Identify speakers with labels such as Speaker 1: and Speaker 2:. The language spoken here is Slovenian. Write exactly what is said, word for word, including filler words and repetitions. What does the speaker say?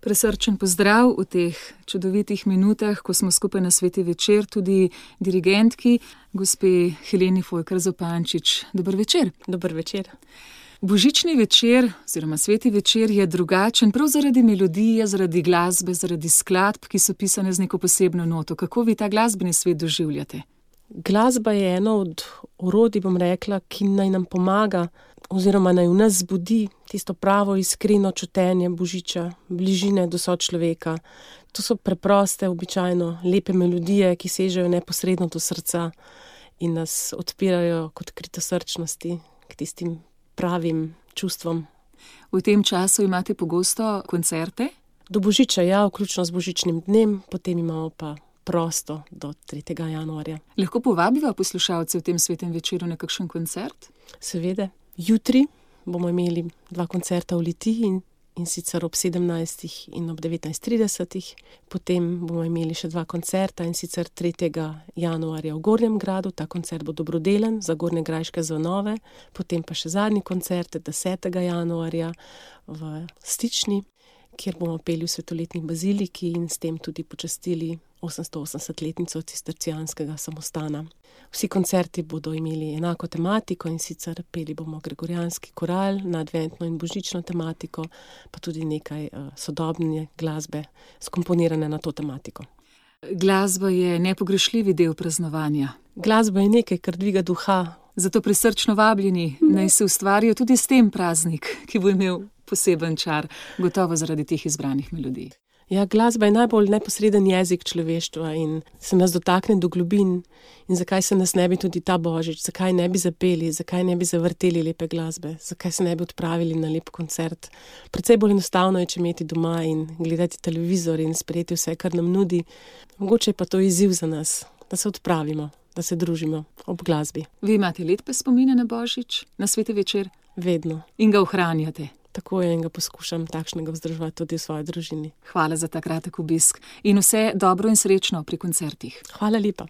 Speaker 1: Presrčen pozdrav v teh čudovitih minutah, ko smo skupaj na sveti večer, tudi dirigentki, gospe Heleni Fojkar Zupančič. Dober večer.
Speaker 2: Dober večer.
Speaker 1: Božični večer oziroma sveti večer je drugačen prav zaradi melodije, zaradi glasbe, zaradi skladb, ki so pisane z neko posebno noto. Kako vi ta glasbeni svet doživljate?
Speaker 2: Glasba je eno od orodij, bom rekla, ki naj nam pomaga oziroma naj v nas zbudi tisto pravo iskreno čutenje božiča, bližine do sočloveka. To so preproste, običajno lepe melodije, ki sežejo neposredno do srca in nas odpirajo k odkritosrčnosti, k tistim pravim čustvom.
Speaker 1: V tem času imate pogosto koncerte?
Speaker 2: Do božiča, ja, vključno z božičnim dnem, potem imamo pa prosto do tretjega januarja.
Speaker 1: Lahko povabiva poslušalce v tem svetem večeru na kakšen koncert?
Speaker 2: Seveda. Jutri bomo imeli dva koncerta v Litiji in, in sicer ob sedemnajstih in ob devetnajst tridesetih. Potem bomo imeli še dva koncerta in sicer tretjega januarja v Gornjem Gradu. Ta koncert bo dobrodelen za gornjegrajške zvonove. Potem pa še zadnji koncert desetega januarja v Stični, kjer bomo peli v Svetoletni baziliki in s tem tudi počastili osemstoosemdesetletnico cistercijanskega samostana. Vsi koncerti bodo imeli enako tematiko in sicer peli bomo gregorijanski koral na adventno in božično tematiko, pa tudi nekaj uh, sodobne glasbe skomponirane na to tematiko.
Speaker 1: Glasba je nepogrešljivi del praznovanja.
Speaker 2: Glasba je nekaj, kar dviga duha.
Speaker 1: Zato prisrčno vabljeni, naj se ustvarijo tudi s tem praznik, ki bo imel poseben čar, gotovo zaradi teh izbranih melodij.
Speaker 2: Ja, glasba je najbolj neposreden jezik človeštva in se nas dotakne do globin. In zakaj se nas ne bi tudi ta božič, zakaj ne bi zapeli, zakaj ne bi zavrteli lepe glasbe, zakaj se ne bi odpravili na lep koncert. Precej bolj enostavno je, če imeti doma in gledati televizor in sprejeti vse, kar nam nudi. Mogoče je pa to izziv za nas, da se odpravimo, da se družimo ob glasbi.
Speaker 1: Vi imate lepe spomine na božič, na sveti večer?
Speaker 2: Vedno.
Speaker 1: In ga ohranjate?
Speaker 2: Tako je in ga poskušam takšnega vzdrževati tudi v svoji družini.
Speaker 1: Hvala za ta kratek obisk in vse dobro in srečno pri koncertih.
Speaker 2: Hvala lepa.